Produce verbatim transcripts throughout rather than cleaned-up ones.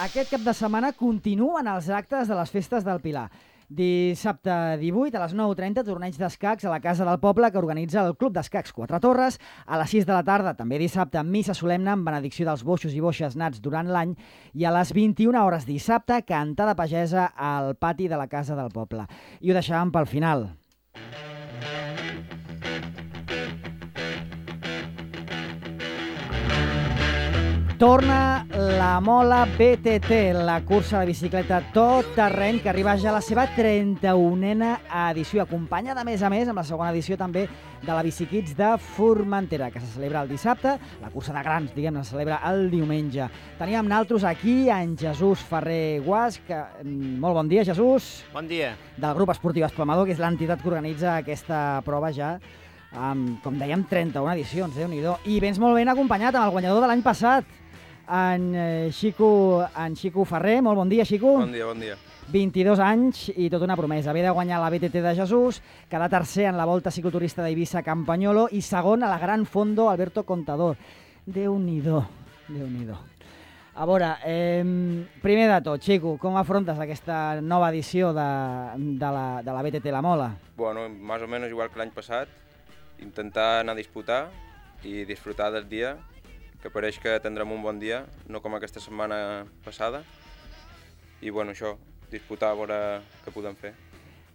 Aquest cap de setmana continuen els actes de les festes del Pilar. Dissabte divuit a les nou i trenta, torneig d'escacs a la Casa del Poble que organitza el Club d'Escacs Quatre Torres. A les sis de la tarda, també dissabte, missa solemne amb benedicció dels boixos i boixes nats durant l'any. I a les vint-i-una hores dissabte, cantada pagesa al pati de la Casa del Poble. I ho deixàvem pel final. Torna la Mola B T T, la cursa de bicicleta tot terreny que arriba ja a la seva trenta-unena edició, acompanyada a més a més amb la segona edició també de la Bicikids de Formentera, que se celebra el dissabte. La cursa de grans, diguem, se celebra el diumenge. Teníem naltros aquí en Jesús Ferrer Guas, que... molt bon dia, Jesús. Bon dia. Del grup esportiu Esplamador, que és l'entitat que organitza aquesta prova ja amb, com dèiem, trenta-una edicions, Déu-n'hi-do. I vens molt ben acompanyat amb el guanyador de l'any passat, en Xico, en Xico Ferrer. Molt bon dia, Xico. Bon dia, bon dia. vint-i-dos anys i tota una promesa. Ve de guanyar la B T T de Jesús, quedar tercer en la Volta Cicloturista d'Eivissa Campanyolo i segon a la Gran Fondo Alberto Contador. Déu-n'hi-do, Déu-n'hi-do. A veure, eh, primer de tot, Xico, com afrontes aquesta nova edició de, de, la, de la B T T La Mola? Bueno, más o menos igual que l'any passat, intentar anar a disputar i disfrutar del dia, que pareix que tindrem un bon dia, no com aquesta setmana passada. I bueno, això, disputar a veure què podem fer.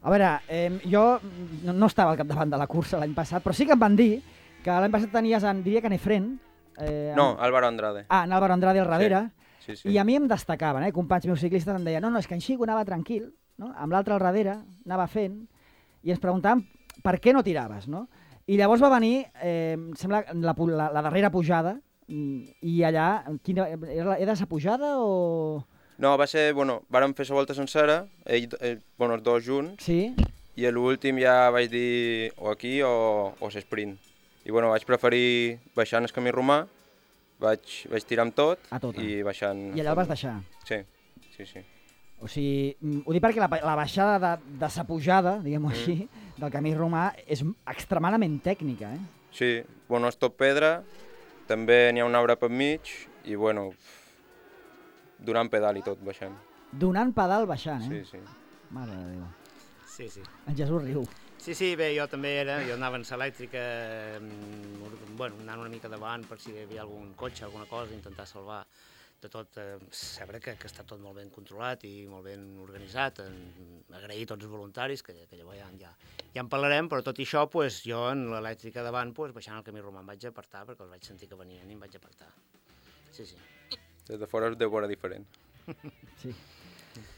A veure, eh, jo no, no estava al capdavant de la cursa l'any passat, però sí que em van dir que l'any passat tenies, en, diria que en Efren... Eh, no, en... Álvaro Andrade. Ah, en Álvaro Andrade al darrere. Sí, sí, sí. I a mi em destacaven, eh, companys meus ciclistes em deien no, no, és que en Xico anava tranquil, no? Amb l'altre al darrere, anava fent, i ens preguntàvem per què no tiraves, no? I llavors va venir, eh, em sembla, la, la, la darrera pujada, i allà, quina, era, era sa pujada o...? No, va ser, bueno, vàrem fer la volta sencera, ell, ell, bueno, els dos junts, sí? I a l'últim ja vaig dir o aquí o, o l'esprint. I bueno, vaig preferir baixant el camí romà, vaig, vaig tirar amb tot i baixant... I allà el vas deixar? Sí, sí, sí. O sigui, ho dic perquè la, la baixada de, de sa pujada, diguem-ho mm. així, del camí romà és extremadament tècnica, eh? Sí, bueno, és tot pedra, també n'hi ha un arbre per mig i, bueno, donant pedal i tot, baixant. Donant pedal baixant, eh? Sí, sí. Mare de Déu. Sí, sí. En Jesús riu. Sí, sí, bé, jo també era, jo anava en l'elèctrica, bueno, anant una mica davant per si hi havia algun cotxe, alguna cosa, intentar salvar de tot, eh, saber que, que està tot molt ben controlat i molt ben organitzat, en, agrair tots els voluntaris, que, que llavors ja, ja, ja en parlarem, però tot i això, pues, jo en l'elèctrica davant, pues, baixant el camí romà em vaig apartar, perquè els vaig sentir que venien i em vaig apartar. Sí, sí. Des de fora es deu veure diferent. Sí.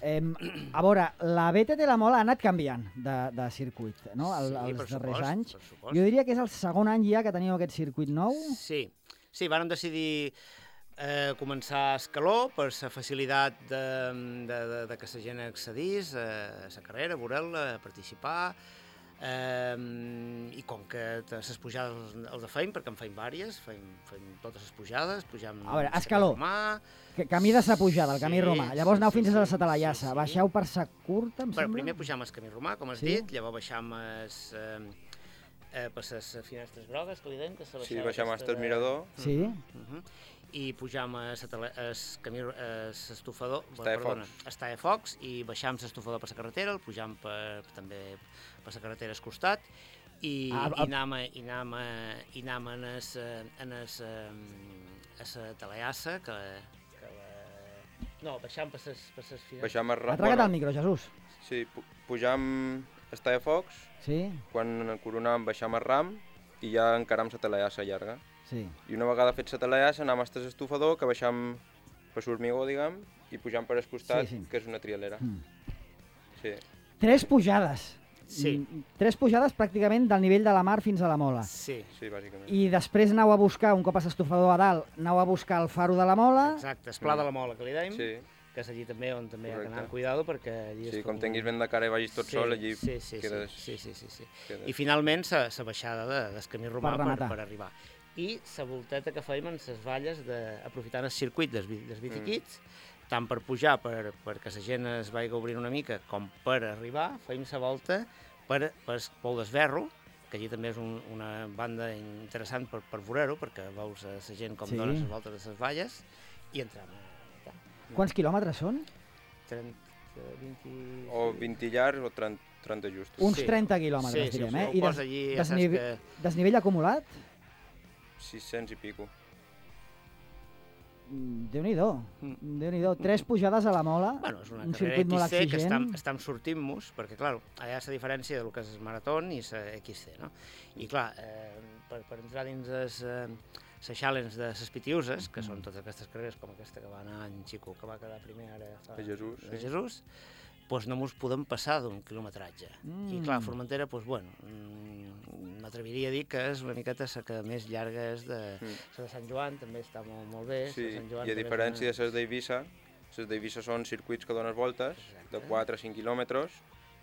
Eh, a veure, la B T T La Mola ha anat canviant de, de circuit, no? El, sí, els per darrers supost, anys. per supost. Jo diria que és el segon any ja que teniu aquest circuit nou. Sí, sí, vàrem decidir eh, començar a Escaló per la facilitat de, de, de, de que la gent accedís a la carrera, a veure-la, a participar. Eh, i com que les pujades els feim, perquè en feim vàries, feim, feim totes les pujades, pugem... A veure, Escaló, que camí de sa pujada, el camí sí, romà, llavors sí, aneu sí, fins sí, a la Satalayassa, sí, sí. baixeu per sa curta, em Però sembla? primer pujam el camí romà, com has sí? dit, llavors baixam es, eh, eh, per les finestres grogues, que li deim, que és la sí, baixam fins al mirador. Sí. Uh -huh. I pujam a l'estufador, perdona, Estalla Focs, i baixam l'estufador per la carretera, el pujam per, també per la carretera al costat, i, ah, i anem, i anem, i anem en es, en es, a la Talayassa, que, que la... no, baixam per les finestres. Baixam a... Atraga't bueno, al micro, Jesús. Sí, pu pujam Estalla Focs, sí? Quan coronam baixam a Ram i ja encaram la Talayassa llarga. Sí. I una vegada fet la Talayassa anem fins a l'estufador, que baixam per l'Hormigó, diguem, i pujam per al costat, sí, sí. que és una trialera. Mm. Sí. Tres pujades. Sí. Tres pujades pràcticament del nivell de la mar fins a la Mola. Sí. Sí, bàsicament. I després aneu a buscar, un cop a l'estufador a dalt, aneu a buscar el faro de la Mola. Exacte, el pla de la Mola, que li deim. Sí. Que és allí també on també hi ha que anar amb cuidado, perquè allí... Sí, com tinguis vent de cara i vagis tot sí, sol, allí sí, sí, quedes... Sí, sí, sí, sí. Quedes... I finalment la baixada de, del camí romà per, per, per arribar. I la volteta que fèiem en les valles, de, aprofitant el circuit dels, dels biciquits, mm. tant per pujar, per, perquè la gent es vagi obrint una mica, com per arribar, fèiem la volta per, per el Pou d'Esberro, que allí també és un, una banda interessant per, per veure-ho, perquè veus la gent com sí. dona les voltes de les valles, i entram. Quants quilòmetres són? trenta, vint... O vint llargs o trenta, trenta justos. Uns Sí. trenta quilòmetres, Sí, sí, direm, si eh? ho I posa allí, ja saps desnive- que... desnivell acumulat? sis-cents i pico. Mm, Déu-n'hi-do, Mm. Déu-n'hi-do. Tres pujades a la mola, Bueno, és una un carrera circuit molt X C que estem, exigent. estem sortint-nos, perquè, clar, allà és la diferència del que és el marató i la X C, no? I, clar, eh, per, per entrar dins les eh, challenge de les Pitiuses, que són totes aquestes carreres, com aquesta que va anar en Xico, que va quedar primer ara fa... A Jesús, a sí. Jesús, doncs no mos podem passar d'un quilometratge. Mm. I, clar, Formentera, doncs, bueno, mm, m'atreviria a dir que és una miqueta la que més llarga és de... Mm. La de Sant Joan també està molt, molt bé. Sí, la de Sant Joan i a també és diferència una- de les d'Eivissa, les d'Eivissa són circuits que dones voltes de Exacte. quatre a cinc quilòmetres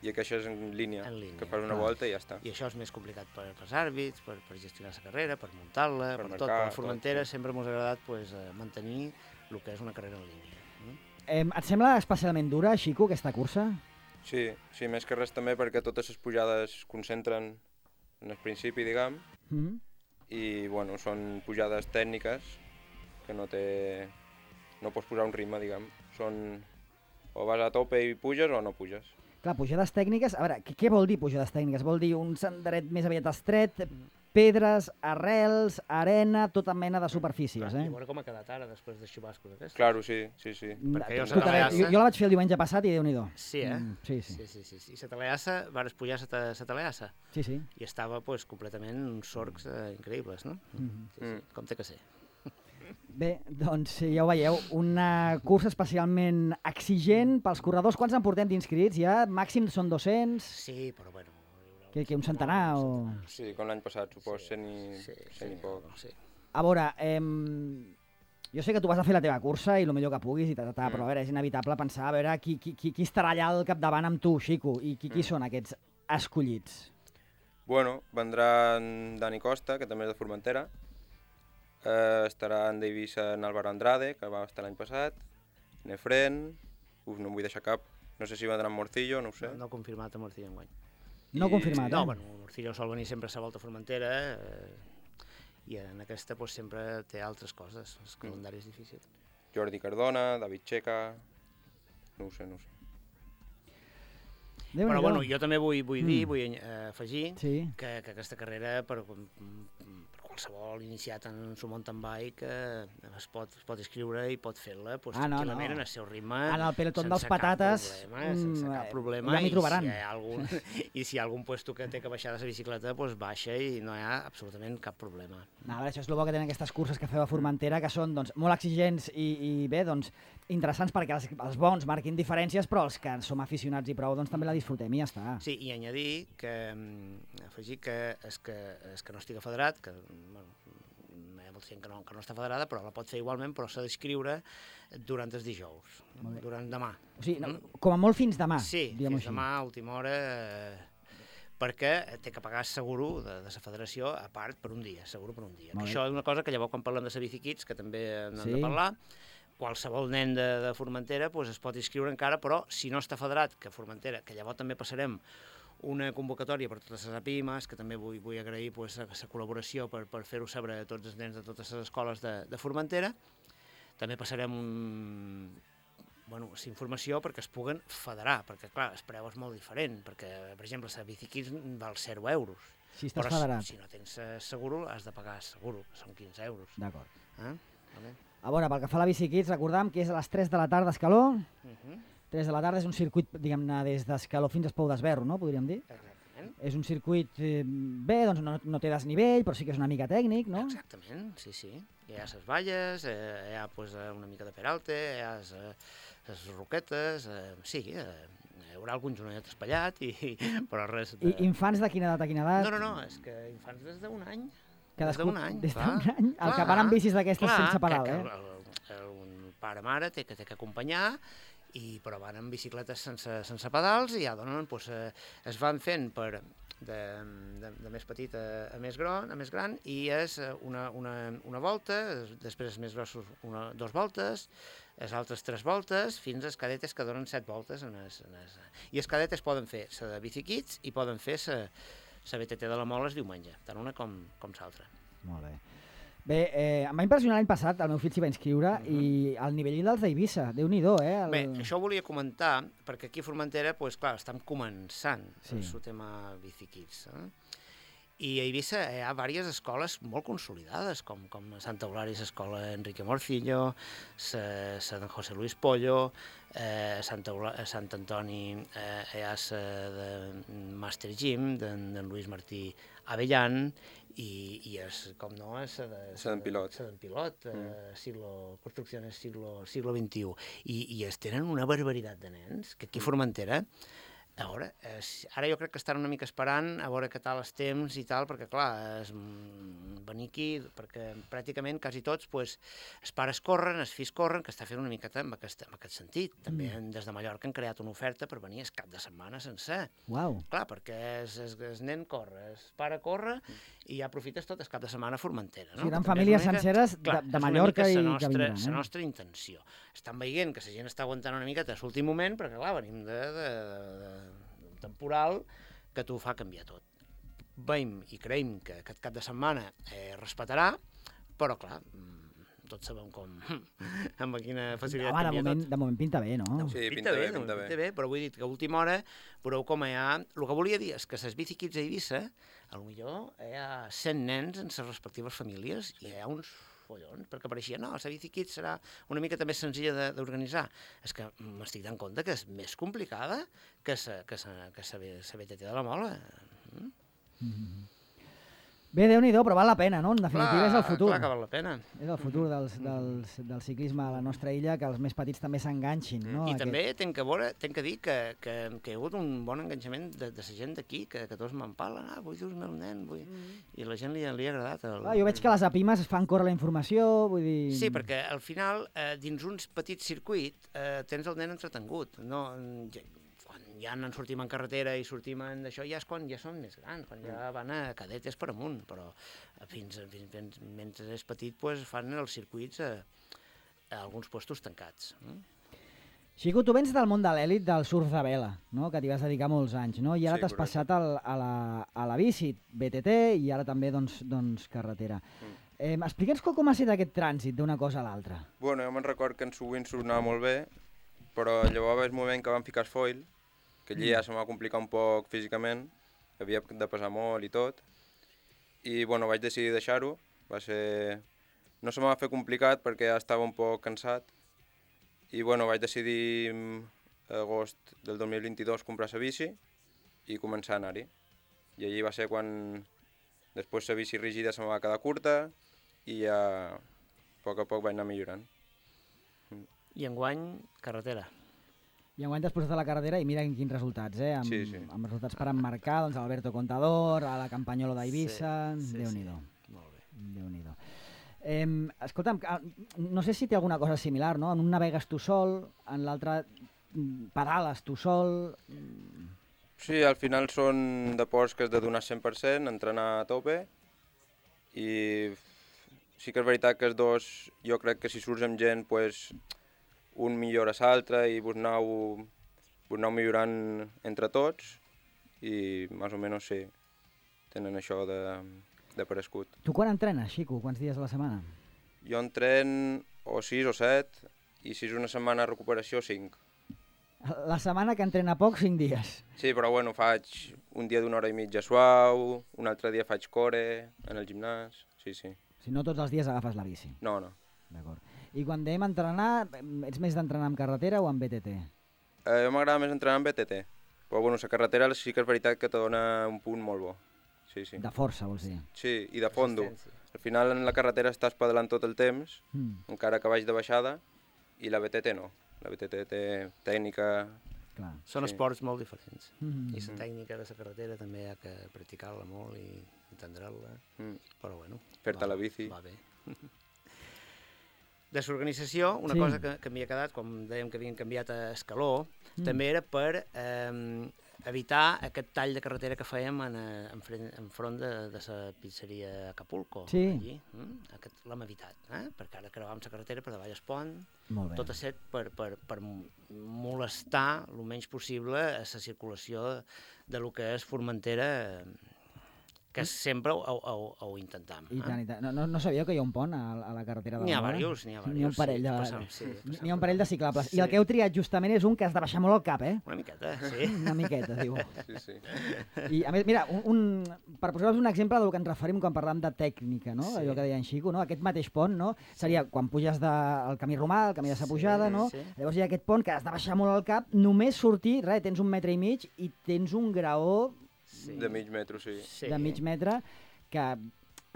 i aquesta és en línia, En línia, que fas una clar. volta i ja està. I això és més complicat per, pels àrbits, per, per gestionar la carrera, per muntar-la, Per per, marcar, tot. Per tot, Formentera sí. sempre ens ha agradat pues, eh, mantenir el que és una carrera en línia. Mm? Eh, et sembla especialment dura, Xico, aquesta cursa? Sí, sí, més que res també perquè totes les pujades es concentren en el principi, diguem, Mm. i bueno, són pujades tècniques que no té... no pots posar un ritme, diguem. Són... o vas a tope i puges o no puges. Clar, pujades tècniques... A veure, què, què vol dir pujades tècniques? Vol dir un senderet més aviat estret, pedres, arrels, arena, tota mena de superfícies, I eh? a veure com ha quedat ara, després dels xubascos aquests. Claro, sí, sí, sí. perquè jo Escolta, la Teleassa- jo, jo la vaig fer el diumenge passat i Déu-n'hi-do. Sí, eh? Mm, sí, sí, Sí, sí, sí, sí. I la Teleassa, vares pujar la Teleassa, sí, sí. i estava pues, completament uns sorcs eh, increïbles, no? Mhm. Sí, sí, Mm. com té que ser. Bé, doncs ja ho veieu, una cursa especialment exigent pels corredors. Quants en portem d'inscrits ja? Màxim són dos-cents? Sí, però bueno... Que, que un centenar o...? Sí, com l'any passat, supos, cent i, Sí, cent i sí, poc. sí. A veure, eh, jo sé que tu vas a fer la teva cursa i el millor que puguis, i ta, ta, ta, Mm. però a veure, és inevitable pensar a veure qui, qui, qui, qui estarà allà al capdavant amb tu, Xico, i qui, qui Mm. són aquests escollits. Bueno, vendrà en Dani Costa, que també és de Formentera. Eh, estarà en d'Eivissa en Álvaro Andrade, que va estar l'any passat. Nefren, uf, no em vull deixar cap. No sé si vendrà en Morcillo, no ho sé. No, no confirmat a Morcillo enguany. No I- confirmat, No, eh? bueno, Morcillo sol venir sempre a la volta a Formentera eh, i en aquesta pues, sempre té altres coses, el calendari és difícil. Jordi Cardona, David Checa... No ho sé, no ho sé. Déu-n'hi-do. Però bueno, jo també vull, vull dir, Mm. vull eh, afegir Sí. que, que aquesta carrera per, per qualsevol iniciat en un mountain bike eh, es, pot, es pot inscriure i pot fer-la pues, Ah, no, tranquil·lament no. en el seu ritme. En el pelotón sense dels cap patates, problema, sense mm, cap eh, problema. ja m'hi i trobaran. Si hi ha algun, I si hi ha algun puesto que té que baixar de la bicicleta, pues baixa i no hi ha absolutament cap problema. No, a veure, això és el bo que tenen aquestes curses que feu a Formentera, que són doncs, molt exigents i, i bé, doncs, interessants perquè els, els bons marquin diferències, però els que som aficionats i prou doncs, també la disfrutem i ja està. Sí, i añadir que, mm, afegir que és que, és que no estiga federat, que bueno, hi ha molta gent que no, que no està federada, però la pot fer igualment, però s'ha d'inscriure durant els dijous, Molt bé. durant demà. O sigui, no, Mm? com a molt fins demà, Sí, diguem-ho fins demà, a última hora, eh, perquè té que pagar seguro de, de la federació a part per un dia, seguro per un dia. Molt bé. Això és una cosa que llavors quan parlem de la Bicikits, que també n'hem Sí. de parlar, qualsevol nen de, de Formentera pues, es pot inscriure encara, però si no està federat, que Formentera, que llavors també passarem una convocatòria per totes les APIMAs, que també vull, vull agrair pues, la col·laboració per, per fer-ho saber a tots els nens de totes les escoles de, de Formentera. També passarem un, bueno, informació perquè es puguen federar, perquè clar, el preu és molt diferent, perquè per exemple la Bicikits val zero euros, Si estàs però federat. si no tens eh, seguro has de pagar seguro, que són quinze euros. D'acord. Eh? Vale. A veure, pel que fa a la Bicikits, recordam que és a les tres de la tarda a Escaló. Uh -huh. tres de la tarda és un circuit, diguem-ne, des d'Escaló fins a Espou d'Esberro, no? Podríem dir. Exactament. És un circuit, eh, bé, doncs no, no té desnivell, però sí que és una mica tècnic, no? Exactament, sí, sí. Hi ha les valles, eh, hi ha pues, eh, una mica de peralte, hi ha les, eh, les roquetes, eh, sí, eh, hi haurà algun jononet espallat, i, però res de... I infants de quina edat a quina edat? No, no, no, és que infants des d'un any. Cadascú, des d'un any, des clar. d'un any? El Clar, que van amb bicis d'aquestes clar, sense pedal, que, eh? que el, el, un pare-mare té que, té que acompanyar, i, però van amb bicicletes sense, sense pedals i ja donen, doncs, eh, es van fent per, de, de, de més petit a, a, més gran, a més gran i és una, una, una volta, després els més grossos una, dos voltes, les altres tres voltes, fins als cadetes que donen set voltes. En es, en es, I els cadetes poden fer la de Bicikits i poden fer la B T T de la Mola el diumenge, tant una com, com l'altra. Molt bé. Bé, eh, em va impressionar l'any passat, el meu fill s'hi va inscriure, uh -huh. i el nivell dels d'Eivissa, Déu-n'hi-do, eh? El... Bé, això ho volia comentar, perquè aquí a Formentera, doncs, clar, estem començant sí. el seu tema Bicikids, eh? I a Eivissa hi ha diverses escoles molt consolidades, com, com Santa Eulària, l'escola Enrique Morcillo, la de José Luis Pollo, eh, Santa, Eulà, Sant Antoni eh, hi ha la de Master Gym, d'en Luis Martí Avellán, i, i és, com no, és la d'en Pilot, la d'en Pilot, mm. eh, siglo, construcciones siglo, siglo vint-i-u, i, i es tenen una barbaritat de nens, que aquí a Formentera, a veure, és, ara jo crec que estan una mica esperant a veure què tal els temps i tal, perquè clar, és, venir aquí, perquè pràcticament quasi tots, pues, els pares corren, els fills corren, que està fent una miqueta en aquest, en aquest sentit. També mm. des de Mallorca han creat una oferta per venir el cap de setmana sencer. Uau. Clar, perquè es, es, el nen corre, el pare corre, i ja aprofites tot el cap de setmana a Formentera. No? Sí, eren famílies mica, senceres clar, de, de Mallorca i nostra, que vindran. Eh? És la nostra intenció. Estan veient que la gent està aguantant una miqueta a l'últim moment, perquè clar, venim de, de, de, de temporal que t'ho fa canviar tot. Veiem i creiem que aquest cap de setmana eh, respetarà, però clar, tots sabem com, amb quina facilitat Home, canvia de moment, tot. De moment pinta bé, no? Sí, pinta, pinta bé, bé, pinta bé. bé, però vull dir que a última hora veureu com hi ha... El que volia dir és que les Bicikids a Eivissa, potser hi ha cent nens en les respectives famílies i hi ha uns follons, perquè pareixia, no, la Bicikids serà una mica més senzilla d'organitzar. És que m'estic dant compte que és més complicada que la que que B T T de la Mola. Mm? Mm-hmm. Bé, Déu-n'hi-do, però val la pena, no? En definitiva clar, és el futur. Clar que val la pena. És el futur dels, dels, del ciclisme a la nostra illa, que els més petits també s'enganxin, no? I Aquest... també tenc que, veure, tenc que dir que, que, que hi ha hagut un bon enganxament de, de la gent d'aquí, que, que tots m'empalen, ah, vull dur el meu nen, vull... Mm. I la gent li, li ha agradat. El... Ah, jo veig que les apimes fan córrer la informació, vull dir... Sí, perquè al final, eh, dins uns petits circuits, eh, tens el nen entretengut, no... Ja en sortim en carretera i sortim en d'això, ja és quan ja són més grans, quan ja van a cadetes per amunt, però fins, fins, fins mentre és petit pues, fan els circuits a, a alguns puestos tancats. Mm? Xico, tu vens del món de l'èlit del surf de vela, no? Que t'hi vas dedicar molts anys, no? I ara sí, t'has passat al, a, la, a la bici, B T T, i ara també doncs, doncs carretera. Mm. Eh, Explica'ns com ha estat aquest trànsit d'una cosa a l'altra. Bueno, jo me'n record que en sovint sonava molt bé, però llavors va el moment que vam ficar el foil, que allí ja se m'ha complicat un poc físicament, havia de pesar molt i tot, i bueno, vaig decidir deixar-ho, va ser... no se m'ha fet complicat perquè ja estava un poc cansat, i bueno, vaig decidir a agost del dos mil vint-i-dos comprar la bici i començar a anar-hi. I allí va ser quan després la bici rígida se me va quedar curta i ja a poc a poc vaig anar millorant. I enguany, carretera. I enguany t'has posat a la carretera i mira quins resultats, eh? Amb, sí, sí. amb resultats per emmarcar, doncs, Alberto Contador, a la Campanyolo d'Eivissa, sí, sí, Déu-n'hi-do. Sí. Molt bé. Déu-n'hi-do. Eh, escolta'm, no sé si té alguna cosa similar, no? En un navegues tu sol, en l'altre pedales tu sol... Sí, al final són deports que has de donar cent per cent, entrenar a tope, i sí que és veritat que els dos, jo crec que si surts amb gent, pues, un millora l'altre i vos aneu, vos aneu millorant entre tots i més o menys sí, tenen això de, de parescut. Tu quan entrenes, Xico? Quants dies a la setmana? Jo entren o sis o set i si és una setmana de recuperació, cinc. La setmana que entrena poc, cinc dies. Sí, però bueno, faig un dia d'una hora i mitja suau, un altre dia faig core en el gimnàs, sí, sí. Si no tots els dies agafes la bici. No, no. D'acord. I quan anem a entrenar, ets més d'entrenar en carretera o en B T T? Eh, a mi m'agrada més entrenar en B T T, però bueno, la carretera sí que és veritat que te dona un punt molt bo. Sí, sí. De força, vols dir? Sí, i de fondo. Al final en la carretera estàs pedalant tot el temps, mm. encara que vaig de baixada, i la B T T no. La B T T té tècnica... Clar. Són sí. esports molt diferents. Mm-hmm. I la tècnica de la carretera també hi ha que practicar-la molt i entendre-la, mm. però bueno... Fer-te la bici. Va bé. De l'organització, una sí. cosa que, que m'hi ha quedat, com dèiem que havien canviat a escaló, mm. també era per eh, evitar aquest tall de carretera que fèiem en, en, en front de, de la pizzeria Acapulco. Sí. Allí. Mm? Aquest l'hem evitat, eh? perquè ara creuàvem la carretera per davall el pont, tot a set per, per, per molestar el menys possible a la circulació de lo que és Formentera, que sempre ho, ho, ho intentem. I eh? tant, i tant. No, no, no sabíeu que hi ha un pont a, a la carretera de N'hi ha la Mola? diversos, n'hi ha diversos. N'hi ha un parell de, sí, passam, sí, passam. n'hi ha un parell de ciclables. Sí. I el que heu triat justament és un que has de baixar molt el cap, eh? Una miqueta, sí. Una miqueta, diu. Sí, sí. I a més, mira, un, un, per posar-vos un exemple del que ens referim quan parlam de tècnica, no? Sí. Allò que deia en Xico, no? Aquest mateix pont, no? Seria quan puges del de, camí romà, el camí de sa pujada, no? sí. Llavors hi ha aquest pont que has de baixar molt el cap, només sortir, res, tens un metre i mig i tens un graó Sí. De mig metro, sí. Sí. de mig metre que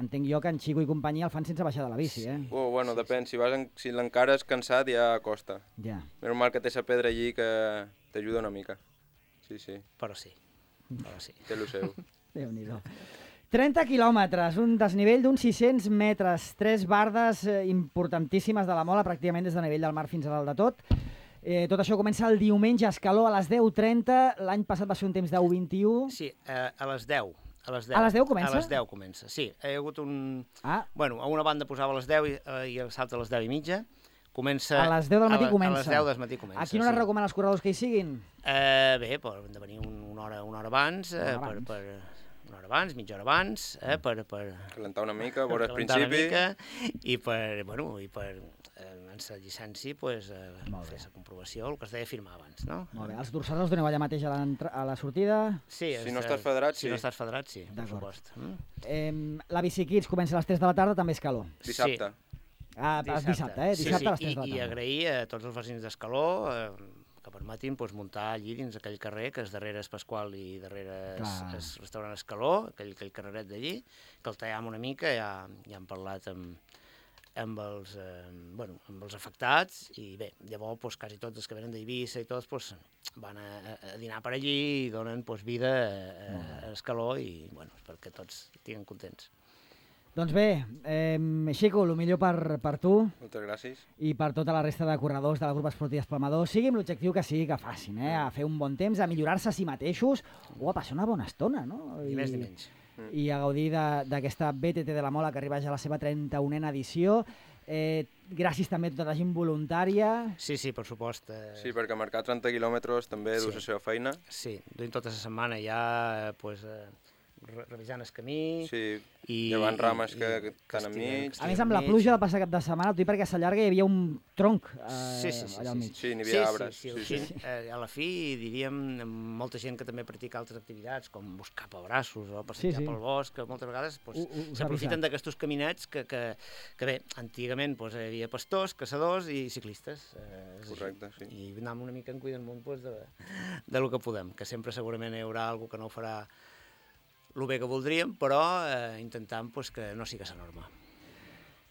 entenc jo que en Xico i companyia el fan sense baixar de la bici, eh? Oh, bueno, depèn. Si, vas en... si l'encares cansat ja costa. Ja. Normal que té la pedra allí que t'ajuda una mica. Sí, sí. Però sí, però sí. Té lo seu. Déu-n'hi-do. trenta quilòmetres, un desnivell d'uns sis-cents metres, tres bardes eh, importantíssimes de la Mola, pràcticament des del nivell del mar fins a dalt de tot. Eh, tot això comença el diumenge a Escaló a les deu trenta. L'any passat va ser un temps de u vint-i-u. Sí, eh, a les deu. A les deu. A les deu comença? A les deu comença, sí. Hi ha hagut un... Ah, Bueno, a una banda posava a les deu i, eh, i a l'altra a les deu i mitja. Comença... a les deu del matí a la, comença. A les deu del matí comença, a quina hora sí. recomana als corredors que hi siguin? Eh, bé, poden de venir un, una, hora, una hora abans, eh, Una hora per, abans. per, una hora abans, mitja hora abans, eh, per, per, Calentar una mica, veure el calentar una principi. mica, i per, bueno, i per eh, en la llicència pues, eh, Molt bé. fer la comprovació, el que es deia firmar abans, no? Molt bé. Els dorsals els doneu allà mateix a, a la sortida. Sí, Si és, no eh, estàs federat, si sí. no estàs federat, sí, per D'acord. supost. Mm? Eh, la Bici Kids comença a les tres de la tarda, també és calor. Dissabte. Ah, dissabte, dissabte eh? Dissabte sí, a les tres de la i, i tarda. agrair a tots els vecins d'Escaló eh, que permetin pues, muntar allí dins aquell carrer, que és darrere es Pasqual i darrere es, Clar. es restaurant Escaló, aquell, aquell carreret d'allí, que el tallàvem una mica, ja, ja hem parlat amb, amb, els, eh, bueno, amb els afectats, i bé, llavors pues, quasi tots els que venen d'Eivissa i tots pues, van a, a dinar per allí i donen pues, vida a, a Escaló i bueno, perquè tots estiguin contents. Doncs bé, eh, Xico, el millor per, per tu Moltes gràcies. i per tota la resta de corredors de la Grup Esportiva Espalmador, sigui amb l'objectiu que sigui que facin, eh? A fer un bon temps, a millorar-se a si mateixos o a passar una bona estona, no? Ni més ni menys. I a gaudir de- d'aquesta B T T de la Mola que arriba ja a la seva trenta-unena edició. Eh, gràcies també a tota la gent voluntària. Sí, sí, per supost. Eh, Sí, perquè marcar trenta quilòmetres també Sí. du la seva feina. Sí, duim tota la setmana ja pues, eh, re revisant el camí Sí, i... llevant rames i- que que estan estiguen- enmig. que A més, estiguen amb la enmig. pluja del passat cap de setmana, t'ho dic perquè a Sallarga hi havia un tronc eh, Sí, sí, sí, allà al sí, mig. Sí, n'hi Sí, havia arbres. sí, Sí, sí, sí. sí. Eh, a la fi, diríem, molta gent que també practica altres activitats, com buscar pebrassos o passejar Sí, sí. pel bosc, que moltes vegades pues, Ho- ho- us ha s'aprofiten avisat. d'aquests caminets que, que, que bé, antigament pues, hi havia pastors, caçadors i ciclistes. Eh, és així. Correcte, sí. I anem una mica en cuidant munt pues, de, de lo que podem, que sempre segurament hi haurà algú que no ho farà el bé que voldríem, però eh, intentant pues, que no sigui la norma.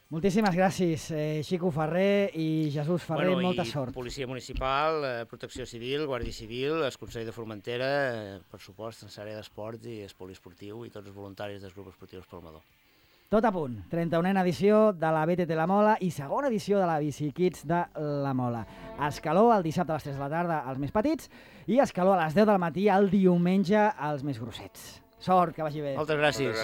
Moltíssimes gràcies, eh, Xico Ferrer i Jesús Ferrer, Bueno, molta i sort. Policia Municipal, eh, Protecció Civil, Guàrdia Civil, el Consell de Formentera, eh, per supost, en l'àrea d'esport i el poliesportiu i tots els voluntaris dels grups esportius Palmador. Tot a punt, trenta-unena edició de la B T T La Mola i segona edició de la Bici Kids de La Mola. A Escaló el dissabte a les tres de la tarda als més petits i a Escaló a les deu del matí el diumenge als més grossets. Sort, que vagi bé. Moltes gràcies. Moltes gràcies.